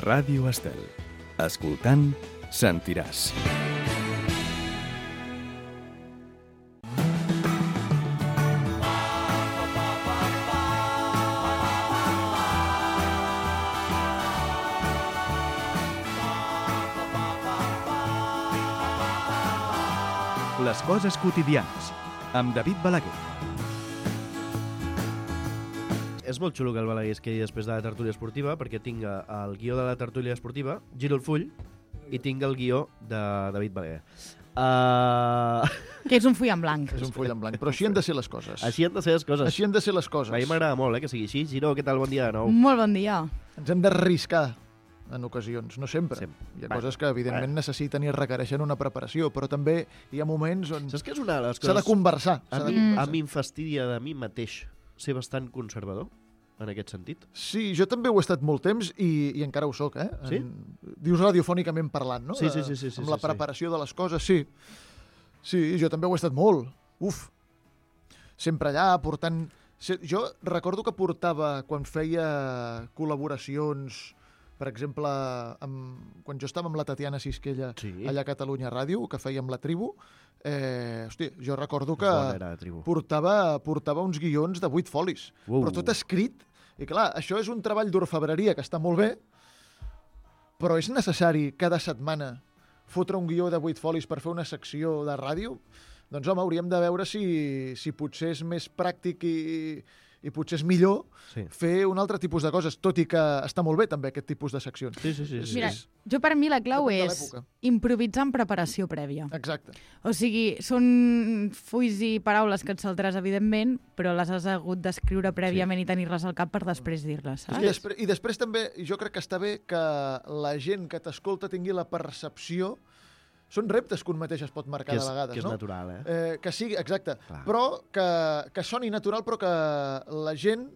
Ràdio Estel. Escoltant, sentiràs. Les coses quotidianes, amb David Balaguer. És molt xulo que el Balaguer es quedi després de la tertúlia esportiva, perquè tinc el guió de la tertúlia esportiva, giro el full, i tinc el guió de David Balaguer. Que és un full en blanc. És un full en blanc, però així han de ser les coses. Així han de ser les coses. Així han de ser les coses. A mi m'agrada molt, que sigui així. Giro, què tal? Bon dia de nou. Molt bon dia. Ens hem d'arriscar en ocasions, no sempre. Hi ha Va. coses que, evidentment, necessiten i requereixen una preparació, però també hi ha moments on Saps què és una de les s'ha coses... de conversar. A mi em fastidia de mi mateix ser bastant conservador, en aquest sentit. Sí, jo també ho he estat molt temps i encara ho soc, eh? Sí? Dius radiofònicament parlant, no? Sí. Amb la preparació de les coses, sí. Sí, jo també ho he estat molt. Uf! Sempre allà, portant... Jo recordo que portava, quan feia col·laboracions, per exemple, quan jo estava amb la Tatiana Sisquella allà a Catalunya Ràdio, que fèiem La Tribu, jo recordo que portava uns guions de 8 folis, però tot escrit. I clar, això és un treball d'orfebreria que està molt bé, però és necessari cada setmana fotre un guió de 8 folis per fer una secció de ràdio? Doncs home, hauríem de veure si potser és més pràctic i potser és millor fer un altre tipus de coses, tot i que està molt bé també aquest tipus de seccions. Sí. Mira, jo per mi la clau és improvisar en preparació prèvia. Exacte. O sigui, són fulls i paraules que et saltaràs, evidentment, però les has hagut d'escriure prèviament i tenir-les al cap per després dir-les, saps? I després també, jo crec que està bé que la gent que t'escolta tingui la percepció. Són reptes que un mateix es pot marcar de vegades, no? Que és natural, eh? Que sigui, exacte. Clar. Però que soni natural, però que la gent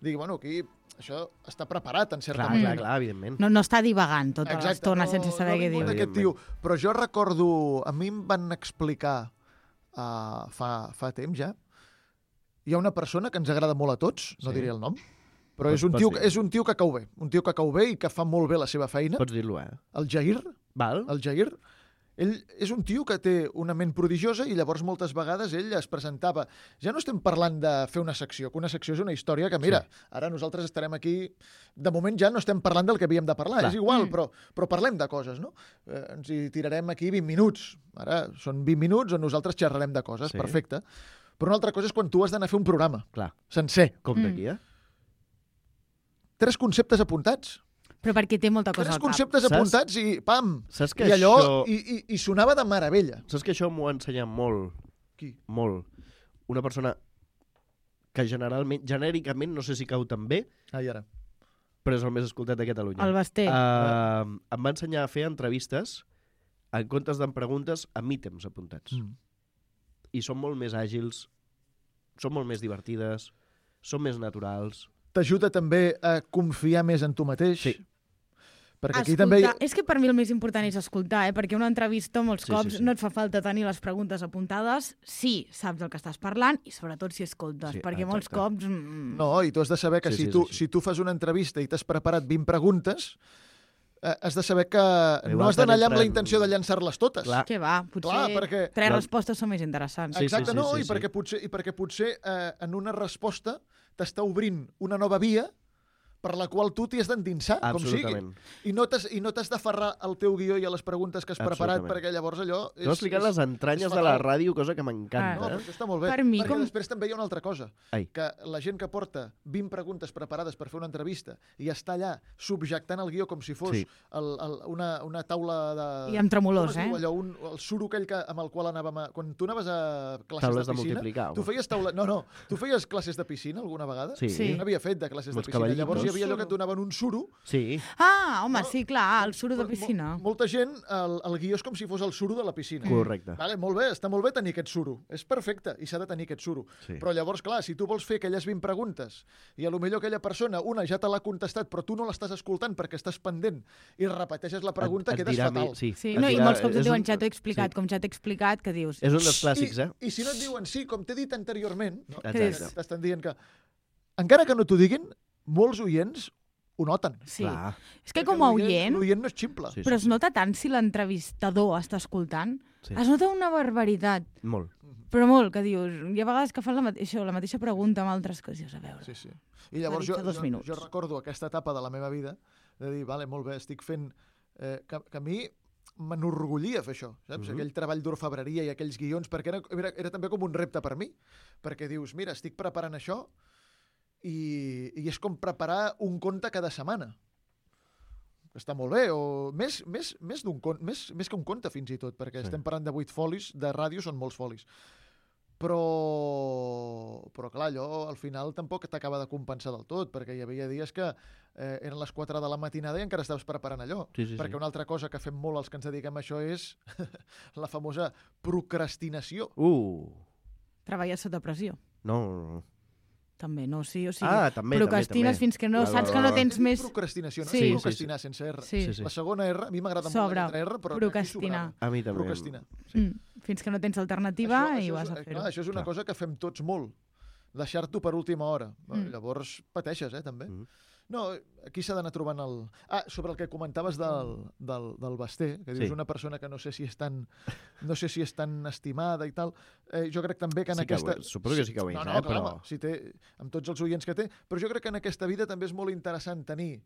digui, bueno, aquí això està preparat, en certa manera. Clar, evidentment. No està divagant tota l'estona sense saber què diu. Aquest tio. Però jo recordo, a mi em van explicar fa temps ja, hi ha una persona que ens agrada molt a tots, no diré el nom, però és un tio que cau bé, i que fa molt bé la seva feina. Pots dir-lo, eh? El Jair. Val. El Jair. Ell és un tio que té una ment prodigiosa i llavors moltes vegades ell es presentava... Ja no estem parlant de fer una secció, que una secció és una història que, mira, ara nosaltres estarem aquí... De moment ja no estem parlant del que havíem de parlar, és igual, però parlem de coses, no? Ens hi tirarem aquí 20 minuts. Ara són 20 minuts on nosaltres xerrarem de coses, perfecte. Però una altra cosa és quan tu has d'anar a fer un programa sencer. Com d'aquí, 3 conceptes apuntats. Però perquè té molta cosa al cap. 3 conceptes apuntats i pam! Saps que I allò, i sonava de meravella. Saps que això m'ho ha ensenyat molt? Qui? Molt. Una persona que genèricament, no sé si cau tan bé, Ara. però és el més escoltat de Catalunya. El Basté. Em va ensenyar a fer entrevistes en comptes d'en preguntes amb ítems apuntats. I són molt més àgils, són molt més divertides, són més naturals. T'ajuda també a confiar més en tu mateix. Sí. Perquè aquí escoltar. també... És que per mi el més important és escoltar, perquè una entrevista molts cops no et fa falta tenir les preguntes apuntades si saps del que estàs parlant i sobretot si escoltes, perquè molts cops... No, i tu has de saber que si tu fas una entrevista i t'has preparat 20 preguntes, has de saber que no has d'anar allà amb la intenció de llançar-les totes. Clar. Que va, potser 3 respostes són més interessants. Exacte, i perquè potser en una resposta t'està obrint una nova via per la qual tu t'hi has d'endinsar, com sigui. I no t'has d'aferrar al teu guió i a les preguntes que has preparat, perquè llavors allò... Tu has explicat les entranyes de la ràdio, cosa que m'encanta. No, però això està molt bé. Perquè després també hi ha una altra cosa, que la gent que porta 20 preguntes preparades per fer una entrevista i està allà subjectant el guió com si fos una taula de... I amb tremolors, el suro aquell amb el qual anàvem a... Quan tu anaves a classes de piscina... Tu feies taula... No, tu feies classes de piscina alguna vegada? Sí. Jo n'havia fet de classes de piscina. Llavors hi havia allò que et donaven un suro. Sí. Ah, home, sí, clar, el suro de piscina. Molta gent, el guió és com si fos el suro de la piscina. Correcte. Vale, molt bé, està molt bé tenir aquest suro. És perfecte, i s'ha de tenir aquest suro. Però llavors, clar, si tu vols fer aquelles 20 preguntes i potser aquella persona, una ja te l'ha contestat, però tu no l'estàs escoltant perquè estàs pendent i repeteixes la pregunta, quedes fatal. Sí, no, i molts cops et diuen, ja t'ho he explicat, com ja t'he explicat, que dius... És un dels clàssics, I si no et diuen sí, com t'he dit anteriorment, exacte, t'estan dient que, encara que no t'ho diguin, molts oients ho noten. Sí. Clar. És que com a oient, L'oient no és ximple. Sí, però es nota tant si l'entrevistador està escoltant. Sí. Es nota una barbaritat, Molt. però molt, que dius... Hi ha vegades que fan la mateixa pregunta amb altres coses. Dius, a veure, Sí, sí. I llavors M'ha dit fa 2 minuts. jo recordo aquesta etapa de la meva vida de dir, vale, molt bé, estic fent... que a mi m'enorgullia fer això, saps? Aquell treball d'orfebreria i aquells guions, perquè era també com un repte per mi, perquè dius, mira, estic preparant això i és com preparar un conte cada setmana. Està molt bé, o més que un conte fins i tot, perquè estem parlant de 8 folis, de ràdio són molts folis. Però clar, allò al final tampoc t'acaba de compensar del tot, perquè hi havia dies que eren les 4 de la matinada i encara estaves preparant allò. Sí. Perquè una altra cosa que fem molt els que ens dediquem a això és la famosa procrastinació. treballes sota pressió. No. També, no? Sí, o sigui, també, procrastines també. fins que no saps que no tens més... Procrastinació, no? Sí. Procrastinar sense R. Sí. La segona R, a mi m'agrada molt Sobre la lletra R, però procrastinar. A mi també. Procrastinar. Fins que no tens alternativa i vas a fer-ho. Clar, això és una cosa que fem tots molt. Deixar-t'ho per última hora. Llavors pateixes, també. No, aquí s'ha d'anar trobant el... sobre el que comentaves del Basté, que dius una persona que no sé si és tan estimada i tal. Jo crec també que en aquesta... Suposo que sí que ho és, clar, però... si té, amb tots els oients que té, però jo crec que en aquesta vida també és molt interessant tenir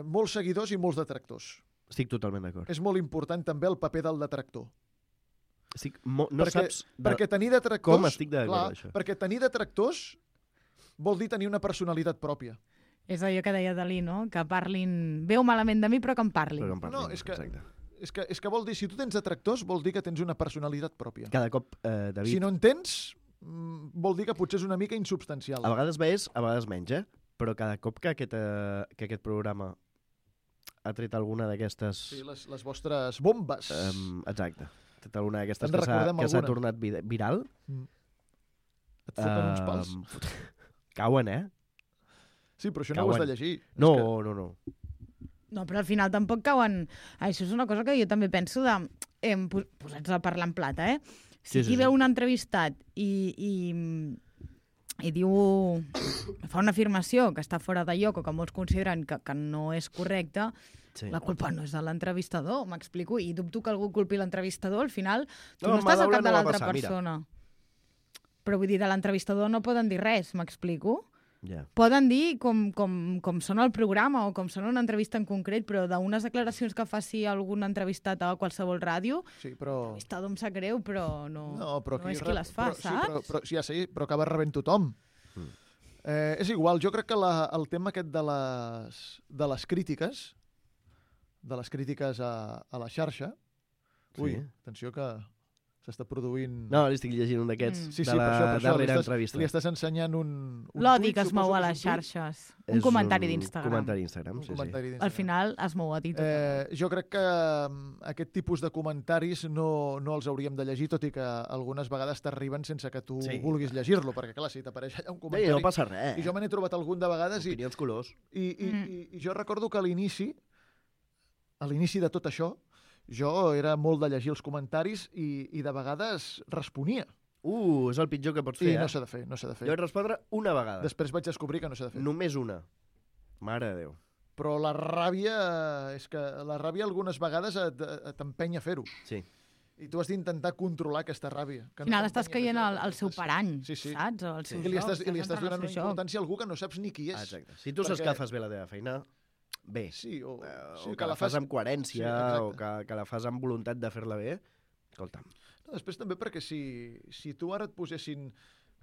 molts seguidors i molts detractors. Estic totalment d'acord. És molt important també el paper del detractor. Perquè tenir detractors... com estic d'acord amb això. Perquè tenir detractors vol dir tenir una personalitat pròpia. És allò que deia Dalí, no? Que parlin bé o malament de mi, però que em parlin. No, és que vol dir, si tu tens detractors, vol dir que tens una personalitat pròpia. Cada cop, David... Si no en tens, vol dir que potser és una mica insubstancial. A vegades més, a vegades menys, però cada cop que aquest programa ha tret alguna d'aquestes... Sí, les vostres bombes. Exacte. Ha tret alguna d'aquestes que s'ha tornat viral. Et foten uns pals. Cauen, Sí, però això no ho has de llegir. No. No, però al final tampoc cauen... Això és una cosa que jo també penso de... Posats a parlar en plata, Si aquí veu un entrevistat i diu... fa una afirmació que està fora de lloc o que molts consideren que no és correcta, la culpa no és de l'entrevistador, m'explico, i dubto que algú culpi l'entrevistador, al final tu no estàs al cap de l'altra persona. Però vull dir, de l'entrevistador no poden dir res, m'explico? Poden dir com són el programa o com són una entrevista en concret, però d'unes declaracions que faci algun entrevistat a qualsevol ràdio, l'entrevistador em sap greu, però no és qui les fa, saps? Però acaba rebent tothom. És igual, jo crec que el tema aquest de les crítiques, a la xarxa... Ui, atenció que... s'està produint... No, li estic llegint un d'aquests de la darrera entrevista. Li estàs ensenyant un l'odi que es mou a les xarxes. Un comentari d'Instagram. Un comentari d'Instagram, sí. Al final es mou a ti tot. Jo crec que aquest tipus de comentaris no els hauríem de llegir, tot i que algunes vegades t'arriben sense que tu vulguis llegir-lo, perquè clar, si t'apareix allà un comentari... No passa res. I jo me n'he trobat algun de vegades... Opinions colors. I jo recordo que a l'inici de tot això, jo era molt de llegir els comentaris i de vegades responia. És el pitjor que pots fer, I no s'ha de fer, Jo vaig respondre una vegada. Després vaig descobrir que no s'ha de fer. Només una. Mare de Déu. Però la ràbia, és que la ràbia algunes vegades t'empenya a fer-ho. Sí. I tu has d'intentar controlar aquesta ràbia. Al final estàs caient al seu parany, saps? O al seu I li estàs donant una importància a algú que no saps ni qui és. Exacte. Si tu saps que fas bé la teva feina... bé, o que la fas amb coherència, o que la fas amb voluntat de fer-la bé, escolta'm. Després també perquè si tu ara et posessin,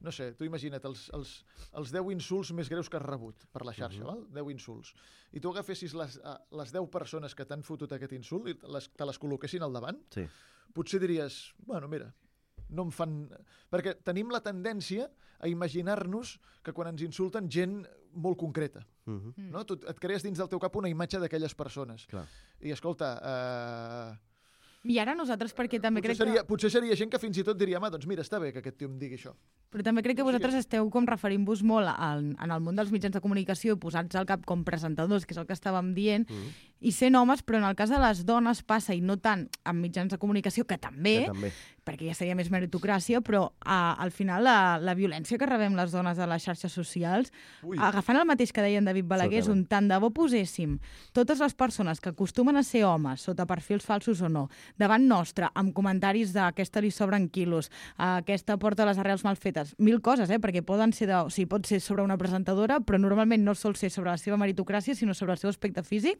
no sé, tu imagina't els 10 insults més greus que has rebut per la xarxa, val? 10 insults, i tu agafessis les 10 persones que t'han fotut aquest insult i te les col·loquessin al davant, potser diries, bueno, mira, no em fan... Perquè tenim la tendència a imaginar-nos que quan ens insulten gent molt concreta. No? Tu et crees dins del teu cap una imatge d'aquelles persones. Clar. I escolta... I ara nosaltres, perquè també crec que... Potser seria gent que fins i tot diria, doncs mira, està bé que aquest tio em digui això. Però també crec que vosaltres esteu com referint-vos molt en el món dels mitjans de comunicació, posats al cap com presentadors, que és el que estàvem dient, i sent homes, però en el cas de les dones passa, i no tant amb mitjans de comunicació, que també, perquè ja seria més meritocràcia, però al final la violència que rebem les dones a les xarxes socials, agafant el mateix que deia en David Balaguer, és un tant de bo poséssim totes les persones que acostumen a ser homes, sota perfils falsos o no, davant nostre, amb comentaris d'aquesta li sobren quilos, aquesta porta les arrels mal fetes, mil coses, perquè poden ser pot ser sobre una presentadora, però normalment no sol ser sobre la seva meritocràcia, sinó sobre el seu aspecte físic.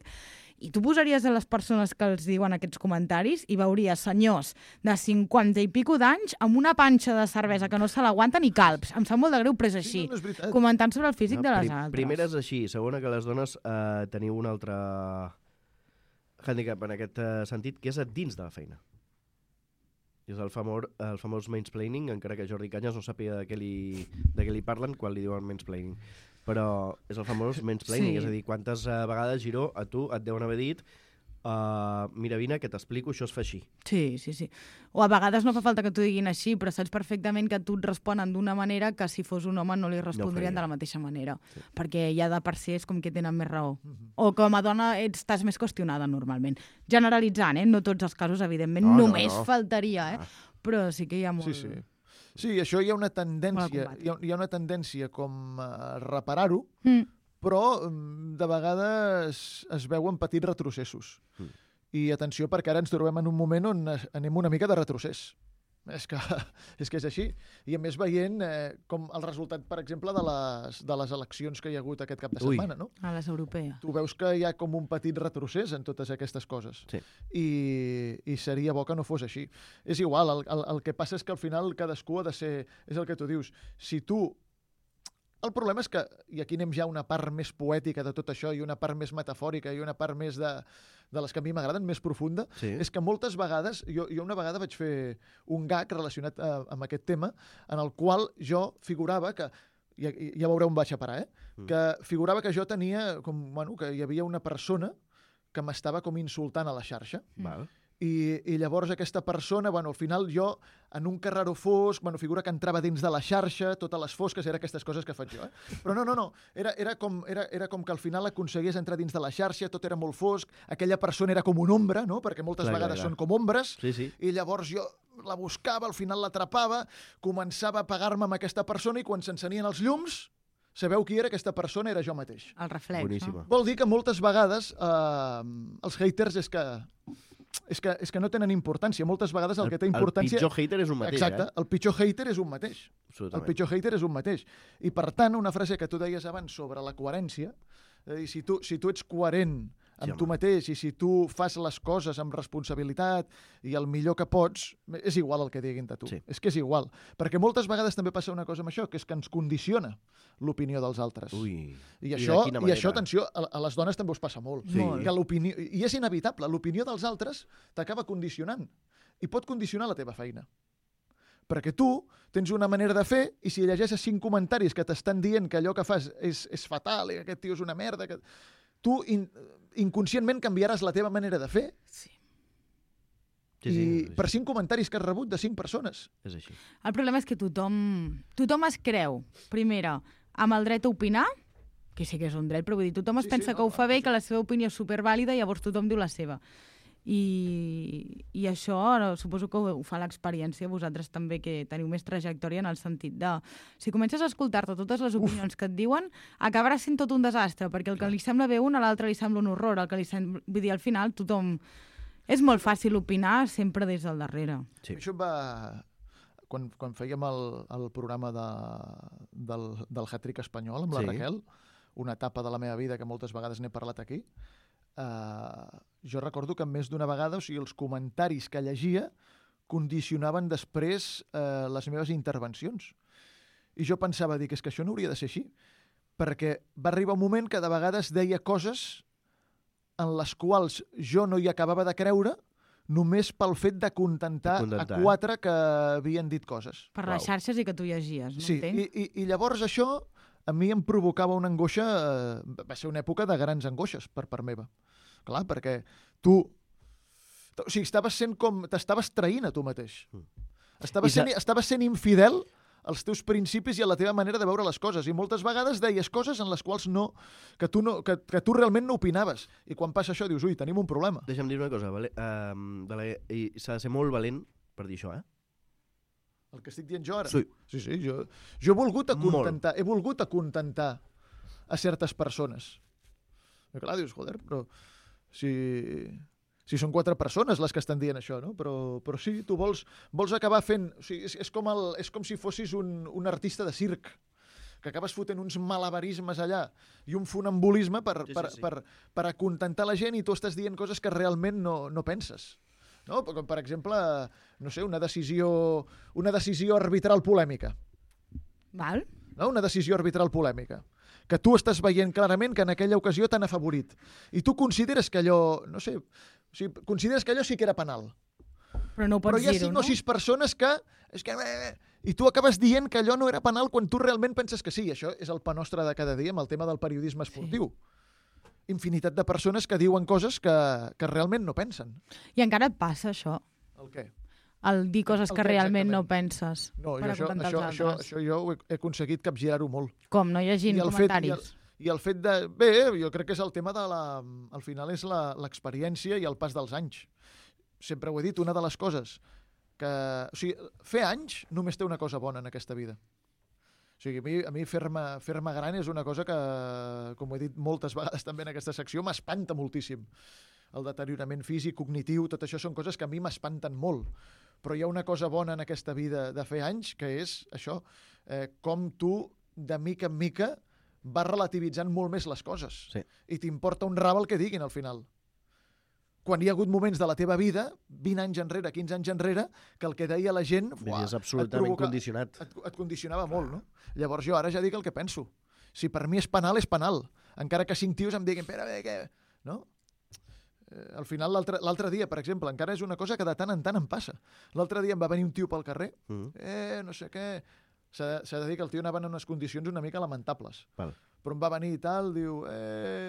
I tu posaries a les persones que els diuen aquests comentaris i veuries senyors de 50 i pico d'anys amb una panxa de cervesa que no se l'aguanten ni calbs. Em sap molt de greu, però és així. Comentant sobre el físic de les altres. Primera és així. Segona, que les dones teniu un altre handicap en aquest sentit, que és a dins de la feina. És el famós mansplaining, encara que Jordi Cañas no sàpiga de què li parlen quan li diuen mansplaining. Però és el famós mansplaining, és a dir, quantes vegades, Giró, a tu et deuen haver dit mira, vine, que t'explico, això es fa així. Sí. O a vegades no fa falta que t'ho diguin així, però saps perfectament que tu et responen d'una manera que si fos un home no li respondrien de la mateixa manera. Sí. Perquè ja de per si és com que tenen més raó. O com a dona estàs més qüestionada normalment. Generalitzant, no tots els casos, evidentment, només faltaria, però sí que hi ha molt... Sí, això hi ha una tendència, hi ha una tendència com a reparar-ho, però de vegades es veuen petits retrocessos. I atenció, perquè ara ens trobem en un moment on anem una mica de retrocés. És que és així. I a més veient com el resultat, per exemple, de les eleccions que hi ha hagut aquest cap de setmana, no? A les europees. Tu veus que hi ha com un petit retrocés en totes aquestes coses. Sí. I seria bo que no fos així. És igual, el que passa és que al final cadascú ha de ser... És el que tu dius. Si tu... El problema és que, i aquí anem ja a una part més poètica de tot això, i una part més metafòrica, i una part més de les que a mi m'agraden, més profunda, és que moltes vegades, jo una vegada vaig fer un gag relacionat amb aquest tema, en el qual jo figurava que, ja veureu on vaig a parar, que figurava que jo tenia, que hi havia una persona que m'estava com insultant a la xarxa. Val. I llavors aquesta persona, al final jo, en un carreró fosc, figura que entrava dins de la xarxa, totes les fosques, era aquestes coses que faig jo. Però no, era com que al final aconseguís entrar dins de la xarxa, tot era molt fosc, aquella persona era com una ombra, no? Perquè moltes vegades són com ombres, i llavors jo la buscava, al final l'atrapava, començava a pegar-me amb aquesta persona i quan s'encenien els llums, sabeu qui era aquesta persona? Era jo mateix. El reflex, boníssima. No? Vol dir que moltes vegades els haters és que no tenen importància. Moltes vegades el que té importància... El pitjor hater és un mateix, Exacte, el pitjor hater és un mateix. Absolutament. El pitjor hater és un mateix. I per tant, una frase que tu deies abans sobre la coherència, és a dir, si tu ets coherent amb tu mateix i si tu fas les coses amb responsabilitat i el millor que pots, és igual el que diguin de tu. Sí. És que és igual. Perquè moltes vegades també passa una cosa amb això, que és que ens condiciona l'opinió dels altres. Ui. I això, atenció, a les dones també us passa molt. Sí. Que l'opinió, i és inevitable, l'opinió dels altres t'acaba condicionant i pot condicionar la teva feina. Perquè tu tens una manera de fer i si llegeixes 5 comentaris que t'estan dient que allò que fas és fatal i que aquest tio és una merda, que tu inconscientment canviaràs la teva manera de fer. Sí. Per 5 comentaris que has rebut de 5 persones. És així. El problema és que tothom es creu, primera, amb el dret a opinar, que sí que és un dret, però vull dir, tothom es pensa que ho fa bé i que la seva opinió és supervàlida i llavors tothom diu la seva. I això suposo que ho fa l'experiència, vosaltres també que teniu més trajectòria en el sentit de si comences a escoltar-te totes les opinions que et diuen, acabarà sent tot un desastre, perquè el que li sembla bé a l'altre li sembla un horror, el que li sembla... Vull dir, al final tothom... És molt fàcil opinar sempre des del darrere. Sí. Això va... Quan fèiem el programa del hat-trick espanyol amb la Raquel, una etapa de la meva vida que moltes vegades n'he parlat aquí, jo recordo que més d'una vegada, o sigui, els comentaris que llegia condicionaven després les meves intervencions. I jo pensava, dic, és que això no hauria de ser així, perquè va arribar un moment que de vegades deia coses en les quals jo no hi acabava de creure només pel fet de contentar a 4 que havien dit coses. Per les xarxes i que tu llegies, no? Sí, i llavors això a mi em provocava una angoixa, va ser una època de grans angoixes per part meva. Clar, perquè tu... O sigui, t'estaves traint a tu mateix. Estaves sent infidel als teus principis i a la teva manera de veure les coses. I moltes vegades deies coses en les quals que tu realment no opinaves. I quan passa això dius, ui, tenim un problema. Deixa'm dir una cosa, i s'ha de ser molt valent per dir això, El que estic dient jo ara? Sí. Sí, jo he volgut acontentar a certes persones. I clar, dius, joder, però si són 4 persones les que estan dient això, no? Però sí, tu vols acabar fent... O sigui, és com si fossis un artista de circ, que acabes fotent uns malabarismes allà i un funambulisme per acontentar la gent i tu estàs dient coses que realment no penses. No? Com, per exemple, no sé, una decisió arbitral polèmica. Val. No? Una decisió arbitral polèmica. Que tu estàs veient clarament que en aquella ocasió t'han afavorit. I tu consideres que allò, no sé, consideres que allò sí que era penal. Però no ho pots dir-ho, no? Però hi ha 5 o 6 persones que... I tu acabes dient que allò no era penal quan tu realment penses que sí. Això és el pa nostre de cada dia amb el tema del periodisme esportiu. Sí. Infinitat de persones que diuen coses que realment no pensen. I encara et passa això? El què? El dir coses que realment no penses. No, això jo he aconseguit capgirar-ho molt. Com? No llegint comentaris? I el fet de... Bé, jo crec que és el tema de la... Al final és l'experiència i el pas dels anys. Sempre ho he dit, una de les coses que... O sigui, fer anys només té una cosa bona en aquesta vida. O sigui, a mi fer-me gran és una cosa que, com ho he dit moltes vegades també en aquesta secció, m'espanta moltíssim. El deteriorament físic, cognitiu, tot això són coses que a mi m'espanten molt. Però hi ha una cosa bona en aquesta vida de fer anys, que és això, com tu, de mica en mica, vas relativitzant molt més les coses. Sí. I t'importa un rave el que diguin al final. Quan hi ha hagut moments de la teva vida, 20 anys enrere, 15 anys enrere, que el que deia la gent... És absolutament condicionat. Et condicionava molt, no? Llavors jo ara ja dic el que penso. Si per mi és penal, és penal. Encara que 5 tios em diguin, espera, què? No? Al final, l'altre dia, per exemple, encara és una cosa que de tant en tant em passa. L'altre dia em va venir un tio pel carrer, no sé què... S'ha de dir que el tio anava en unes condicions una mica lamentables. Val. Però em va venir i tal, diu,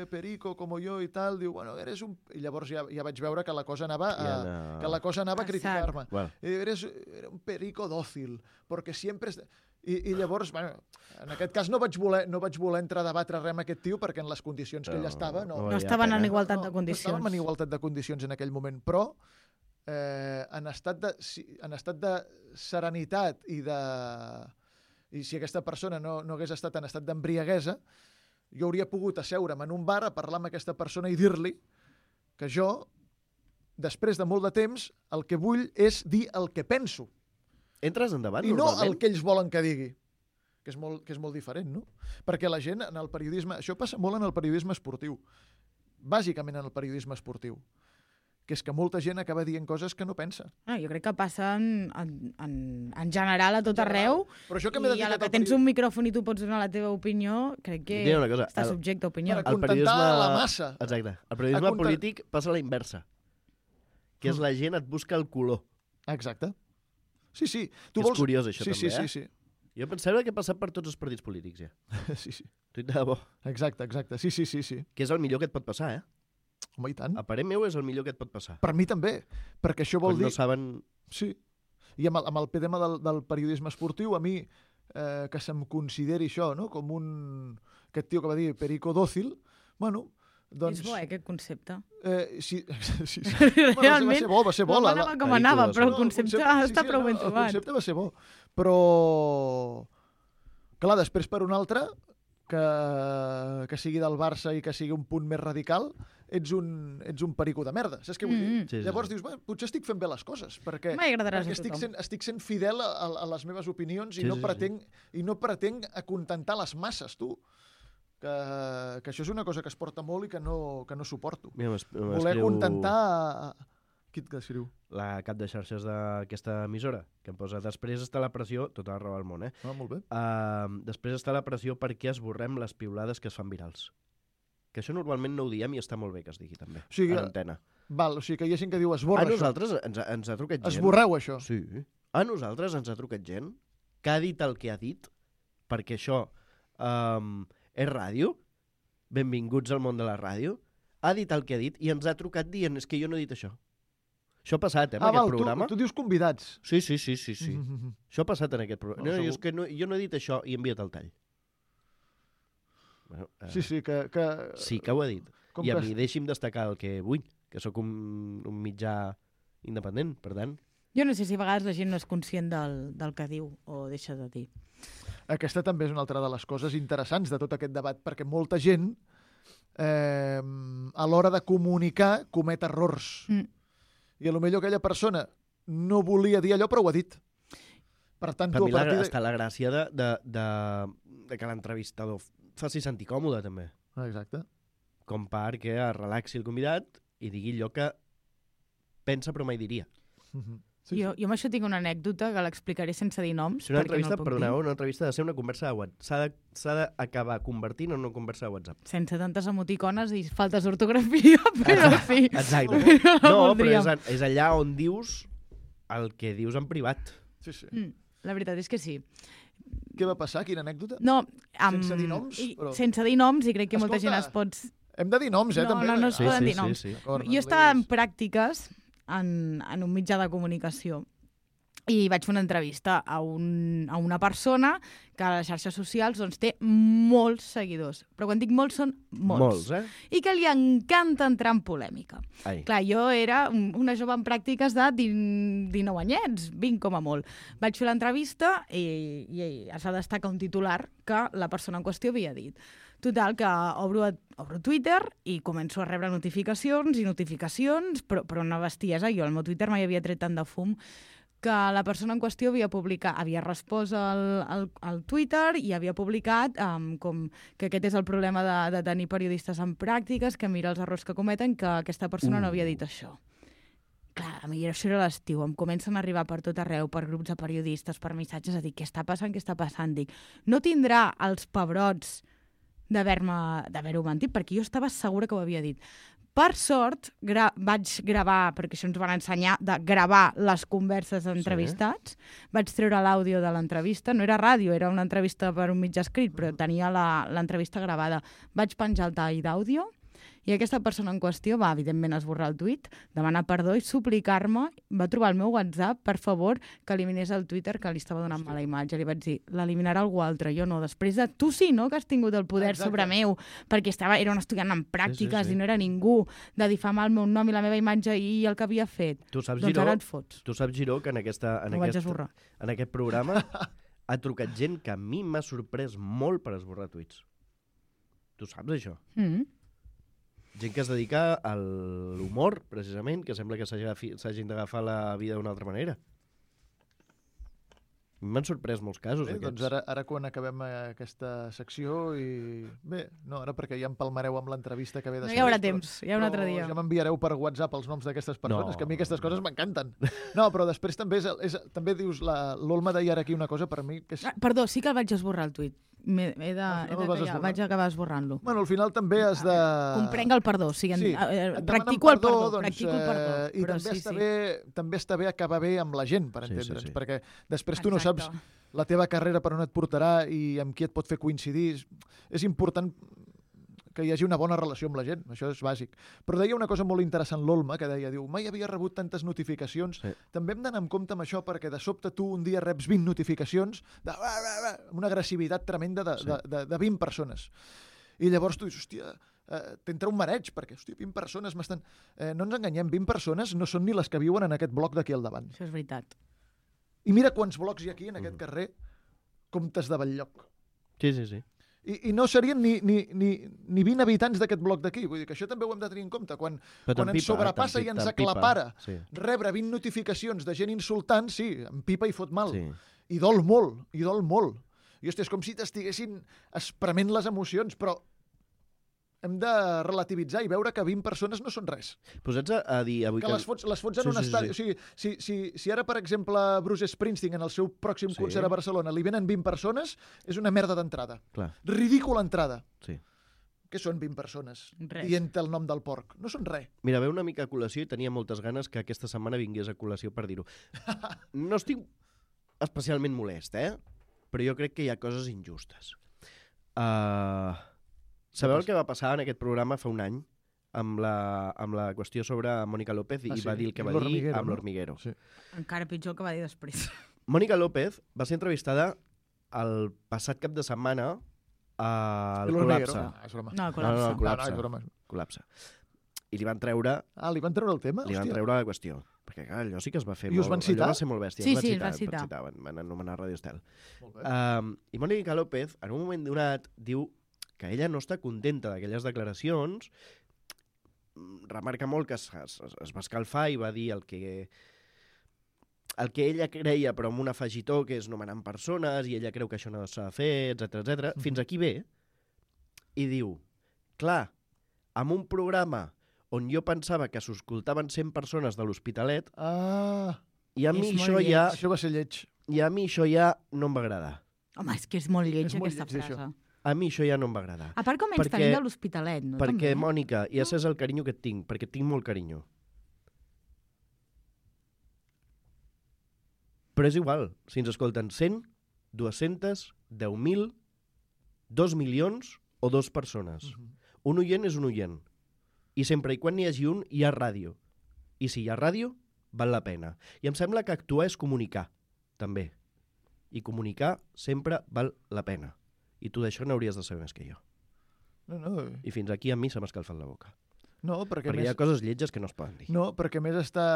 perico, como yo i tal, diu, bueno, eres un... I llavors ja vaig veure que la cosa anava a criticar-me. Well. Eres un perico dòcil, perquè sempre... I llavors, bueno, en aquest cas no vaig voler entrar a debatre res amb aquest tio perquè en les condicions que ell estava... No estaven en igualtat de condicions. No estàvem en igualtat de condicions en aquell moment, però en estat de serenitat i si aquesta persona no hagués estat en estat d'embriaguesa, jo hauria pogut asseure'm en un bar a parlar amb aquesta persona i dir-li que jo, després de molt de temps, el que vull és dir el que penso. Entres endavant, i normalment? I no el que ells volen que digui, que és molt diferent, no? Perquè la gent en el periodisme... Això passa molt en el periodisme esportiu. Bàsicament en el periodisme esportiu. Que és que molta gent acaba dient coses que no pensa. Jo crec que passa en general a tot arreu, però això que i a la que tens un micròfon i tu pots donar la teva opinió, crec que està subjecte a opinió. Per acontentar la massa. Exacte. El periodisme polític passa a la inversa, que és la gent et busca el color. Exacte. Sí. És curiós, això, també, Sí. Jo pensava que ha passat per tots els partits polítics, ja. Sí. De debò. Exacte. Sí. Que és el millor que et pot passar, Home, i tant. A parer meu és el millor que et pot passar. Per mi també, perquè això vol dir... No saben... Sí. I amb el tema del periodisme esportiu, a mi, que se'm consideri això, no? Com aquest tio que va dir perico dòcil, bueno, doncs... És bo, aquest concepte. Sí. Realment, bueno, va ser bo. No anava com anava, però el concepte està prou ben trobat. El concepte va ser bo. Però, clar, després per un altre, que sigui del Barça i que sigui un punt més radical, ets un perico de merda. Saps què vull dir? Sí. Llavors dius, potser estic fent bé les coses, perquè estic sent fidel a les meves opinions i no pretenc acontentar les masses, tu. Que això és una cosa que es porta molt i que no suporto. Voler acontentar... Qui et escriu? La cap de xarxes d'aquesta emissora, que em posa després està la pressió, tota la raó del món, molt bé. Després està la pressió perquè esborrem les piulades que es fan virals. Que això normalment no ho diem i està molt bé que es digui també, a l'antena. O sigui que hi ha gent que diu esborra això. A nosaltres ens ha trucat gent... Esborreu això. Sí. A nosaltres ens ha trucat gent que ha dit el que ha dit, perquè això és ràdio, benvinguts al món de la ràdio, ha dit el que ha dit i ens ha trucat dient és que jo no he dit això. Això ha passat, en val, aquest programa. tu dius convidats. Sí. Això ha passat en aquest programa. No, és que jo no he dit això i he enviat el tall. Bueno, Sí, que... Sí que ho he dit. Com I a que mi deixi'm destacar el que vull, que sóc un mitjà independent, per tant. Jo no sé si a vegades la gent no és conscient del que diu o deixa de dir. Aquesta també és una altra de les coses interessants de tot aquest debat, perquè molta gent, a l'hora de comunicar, comet errors. I potser aquella persona no volia dir allò, però ho ha dit. Per tant, Per mi està la gràcia de que l'entrevistador faci sentir còmode, també. Exacte. Com perquè es relaxi el convidat i digui allò que pensa però mai diria. Sí. Jo amb això tinc una anècdota que l'explicaré sense dir noms. Si una entrevista, perdoneu, una entrevista ha de ser una conversa de WhatsApp. S'ha d'acabar convertint en una conversa de WhatsApp. Sense tantes emoticones i faltes d'ortografia, però sí. Exacte. No, però és allà on dius el que dius en privat. Sí. La veritat és que sí. Què va passar? Quina anècdota? No, sense dir noms? Sense dir noms, i crec que molta gent es pot... Hem de dir noms, també. No es poden dir noms. Sí. Jo estava en pràctiques en un mitjà de comunicació i vaig fer una entrevista a una persona que a les xarxes socials doncs, té molts seguidors. Però quan dic molts, són molts. I que li encanta entrar en polèmica. Clar, jo era una jove en pràctiques de 19 anyets, 20 com a molt. Vaig fer l'entrevista i es va destacar un titular que la persona en qüestió havia dit. Total, que obro Twitter i començo a rebre notificacions, però una bestiesa. Jo al meu Twitter mai havia tret tant de fum, que la persona en qüestió havia respost al Twitter i havia publicat com que aquest és el problema de tenir periodistes en pràctiques, que mira els errors que cometen, que aquesta persona no havia dit això. Clar, a mi això era l'estiu, em comencen a arribar per tot arreu, per grups de periodistes, per missatges, a dir, què està passant? Dic, no tindrà els pebrots d'haver-ho mentit, perquè jo estava segura que ho havia dit. Per sort, vaig gravar, perquè això ens van ensenyar, de gravar les converses d'entrevistats. Vaig treure l'àudio de l'entrevista. No era ràdio, era una entrevista per un mitjà escrit, però tenia l'entrevista gravada. Vaig penjar el tall d'àudio i aquesta persona en qüestió va, evidentment, esborrar el tuit, demanar perdó i suplicar-me. Va trobar el meu WhatsApp, per favor, que eliminés el Twitter, que li estava donant mala imatge. Li vaig dir, l'eliminarà algú altre, jo no. Després de tu sí, no?, que has tingut el poder sobre meu, perquè era un estudiant en pràctiques i no era ningú, de difamar el meu nom i la meva imatge i el que havia fet. Tu saps, doncs Giró, ara et fots. Tu saps, Giró, que en aquest programa ha trucat gent que a mi m'ha sorprès molt per esborrar tuits. Tu saps això? Gent que es dedica a l'humor, precisament, que sembla que s'hagin d'agafar la vida d'una altra manera. M'han sorprès molts casos, aquests. Doncs ara quan acabem aquesta secció i... Bé, no, ara perquè ja em palmareu amb l'entrevista que ve de No hi haurà temps, hi ha un altre dia. Ja m'enviareu per WhatsApp els noms d'aquestes persones, que a mi aquestes coses m'encanten. No, però després també també dius, l'Olma deia ara aquí una cosa per mi que és... Perdó, sí que el vaig esborrar el tuit. Vaig acabar esborrant-lo. Bueno, al final també has de... Comprenc el perdó, practico el perdó. I també està bé acabar bé amb la gent, per entendre'ns, perquè després tu no saps la teva carrera per on et portarà i amb qui et pot fer coincidir. És important que hi hagi una bona relació amb la gent, això és bàsic. Però deia una cosa molt interessant l'Olma, que deia, mai havia rebut tantes notificacions. També hem d'anar amb compte amb això, perquè de sobte tu un dia reps 20 notificacions amb una agressivitat tremenda de 20 persones. I llavors tu dius, hòstia, t'entra un mareig, perquè, 20 persones m'estan... No ens enganyem, 20 persones no són ni les que viuen en aquest bloc d'aquí al davant. Això és veritat. I mira quants blocs hi ha aquí, en aquest carrer, comptes de Batllloc. Sí. I no serien ni 20 habitants d'aquest bloc d'aquí. Vull dir que això també ho hem de tenir en compte. Quan ens sobrepassa i ens aclapara rebre 20 notificacions de gent insultant, sí, em pipa i fot mal. I dol molt. I, hòstia, és com si t'estiguessin esprement les emocions, però hem de relativitzar i veure que 20 persones no són res. Posats a dir avui que les fots en un estadi. O sigui, si ara, per exemple, Bruce Springsteen en el seu pròxim concert a Barcelona li venen 20 persones, és una merda d'entrada. Ridícula entrada. Què són 20 persones? Dient el nom del porc. No són res. Mira, ve una mica a col·lació i tenia moltes ganes que aquesta setmana vingués a col·lació per dir-ho. No estic especialment molest, però jo crec que hi ha coses injustes. Sabeu el que va passar en aquest programa fa un any, amb la qüestió sobre Mònica López i va dir el que va dir amb l'Hormiguero. Sí. Encara pitjor el que va dir després. Mònica López va ser entrevistada el passat cap de setmana al Col·lapse. No, el Col·lapse. I li van treure... Ah, li van treure el tema? Li van treure la qüestió. Perquè, clar, allò sí que es va fer I us van citar? Allò va ser molt bèstia. Sí, es van citar. Van anomenar Radio Estel. I Mònica López, en un moment donat, diu que ella no està contenta d'aquelles declaracions, remarca molt que es va escalfar i va dir el que ella creia, però amb un afegitó, que és nomenant persones, i ella creu que això no s'ha de fer, etc. Fins aquí ve, i diu, clar, amb un programa on jo pensava que s'escoltaven 100 persones de l'Hospitalet, i a mi això ja... Això va ser lleig. I a mi això ja no em va agradar. Home, és que és molt lleig aquesta frase. A mi això ja no em va agradar. A part com ens tenim de l'Hospitalet, no? Perquè, Mònica, ja saps el carinyo que et tinc, perquè tinc molt carinyo. Però és igual, si ens escolten 100, 200, 10.000, 2 milions o 2 persones. Un oient és un oient. I sempre i quan n'hi hagi un, hi ha ràdio. I si hi ha ràdio, val la pena. I em sembla que actuar és comunicar, també. I comunicar sempre val la pena. I tu d'això n'hauries de saber més que jo. No. I fins aquí a mi se m'ha escalfat la boca. No, perquè hi ha coses lletges que no es poden dir. No, perquè més està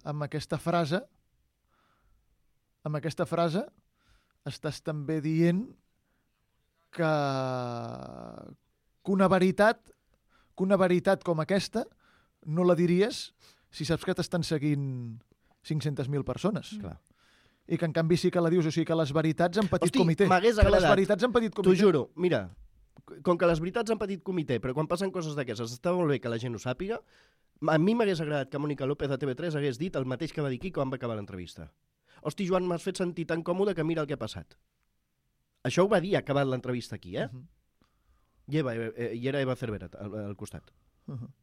amb aquesta frase estàs també dient que una veritat com aquesta no la diries si saps que t'estan seguint 500.000 persones. Clar. I que en canvi sí que la dius, o sigui que les veritats en petit comitè. M'hagués agradat. Les veritats en petit comitè. T'ho juro, mira, com que les veritats en petit comitè, però quan passen coses d'aquestes està molt bé que la gent ho sàpiga, a mi m'hagués agradat que Mònica López a TV3 hagués dit el mateix que va dir aquí quan va acabar l'entrevista. Hosti, Joan, m'has fet sentir tan còmode que mira el que ha passat. Això ho va dir acabat l'entrevista aquí, eh? I era Eva Cervera al costat,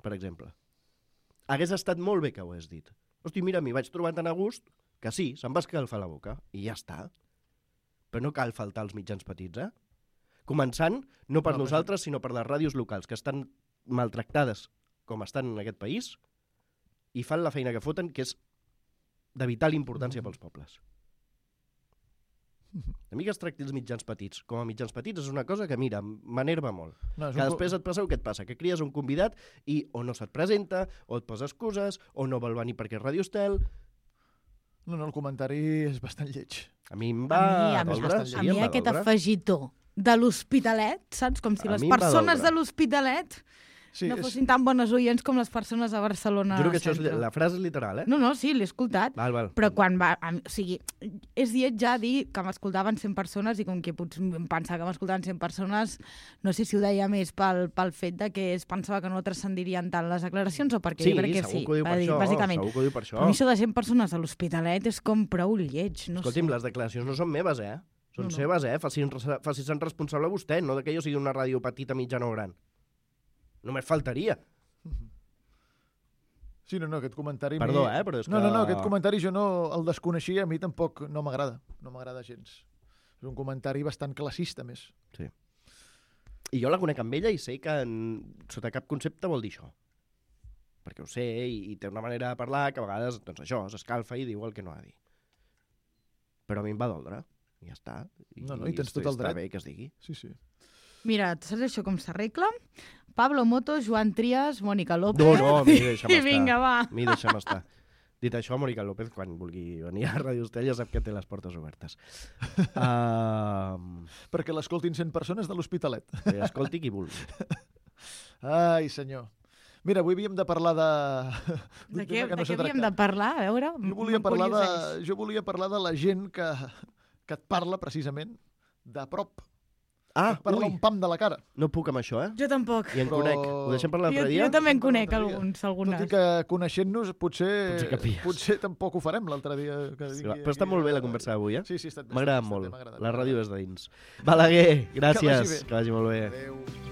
per exemple. Hagués estat molt bé que ho hagués dit. Hosti, mira, m'hi vaig trobar tan a gust que sí, se'm va escalfar la boca i ja està. Però no cal faltar als mitjans petits, eh? Començant, no per nosaltres, sinó per les ràdios locals, que estan maltractades com estan en aquest país i fan la feina que foten, que és de vital importància pels pobles. A mi que es tracti els mitjans petits com a mitjans petits és una cosa que, mira, m'enerva molt. Que després et passa el que et passa, que cries un convidat i o no se't presenta, o et posa excuses, o no vol venir perquè és Radio Estel. No, el comentari és bastant lleig. A mi em va doldre. A mi aquest afegitó de l'Hospitalet, saps? Com si les persones de l'Hospitalet no fossin tan bones oients com les persones a Barcelona. Juro que això la frase és literal, eh? No, sí, l'he escoltat. Val. Però quan va... O sigui, és lleig ja dir que m'escoltaven 100 persones i com que potser pensava que m'escoltaven 100 persones, no sé si ho deia més pel fet de que es pensava que no transcendirien tant les declaracions o perquè sí, segur que ho diu per això. Bàsicament. Segur que ho diu per això. Però això de 100 persones a l'Hospitalet és com prou lleig. No Escolti'm, les declaracions no són meves, eh? Són seves, eh? Faci-se'n responsable vostè, no que jo sigui una ràdio petita, mitjana o gran. Només faltaria. Sí, no, aquest comentari... Perdó, però és que... No, aquest comentari jo no el desconeixia, a mi tampoc no m'agrada. No m'agrada gens. És un comentari bastant classista, més. Sí. I jo la conec amb ella i sé que sota cap concepte vol dir això. Perquè ho sé i té una manera de parlar que a vegades, doncs això, s'escalfa i diu el que no ha de dir. Però a mi em va doldre. I ja està. I tens tot el dret. Està bé que es digui. Sí. Mira, saps això com s'arregla? Pablo Moto, Joan Trias, Mònica López... No, mi deixa'm estar. I vinga, va. Mi deixa'm estar. Dit això, Mònica López, quan vulgui venir a Ràdio Estel, ja sap que té les portes obertes. Perquè l'escoltin 100 persones de l'Hospitalet. Que escolti qui vulgui. Ai, senyor. Mira, avui havíem de parlar de... De què havíem de parlar? A veure, jo volia parlar de la gent que et parla, precisament, de prop. Parla un pam de la cara. No puc amb això, eh? Jo tampoc. I en conec. Ho deixem per l'altre dia? Jo també en conec algunes. Tot i que coneixent-nos potser tampoc ho farem l'altre dia. Però està molt bé la conversa d'avui, eh? Sí, està bé. M'ha agradat molt. La ràdio és de dins. Balaguer, gràcies. Que vagi molt bé. Adéu.